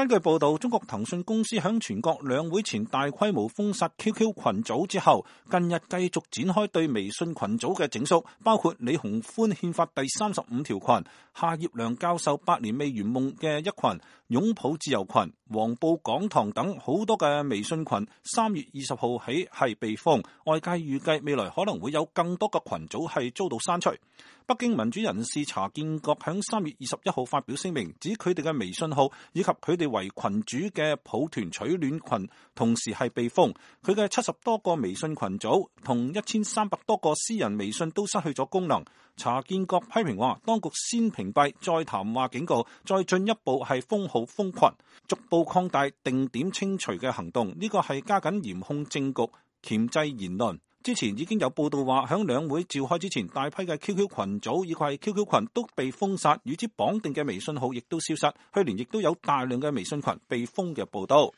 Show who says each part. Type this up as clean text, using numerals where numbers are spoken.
Speaker 1: 根據報道，中國騰訊公司響全國兩會前大規模封殺 QQ 群組之後，近日繼續展開對微信群組嘅整肅，包括李鴻歡憲法第35條群、夏業良教授百年未圓夢嘅一群、擁抱自由群、黃埔講堂等好多嘅微信群，3月20號起係被封，外界預計未來可能會有更多嘅群組係遭到刪除。北京民主人士查建國響3月21號發表聲明，指佢哋嘅微信號以及佢哋為群主嘅抱團取暖群同時係被封，佢嘅70多個微信群組同1300多個私人微信都失去咗功能。查建國批評話，當局先屏蔽，再談話警告，再進一步係封號封群，逐步擴大定點清除嘅行動，呢個係加緊嚴控政局，鉗制言論。之前已經有報道話，響兩會召開之前，大批嘅 QQ 群組以及係 QQ 群都被封殺，與之綁定嘅微信號亦都消失。去年亦都有大量嘅微信群被封嘅報道。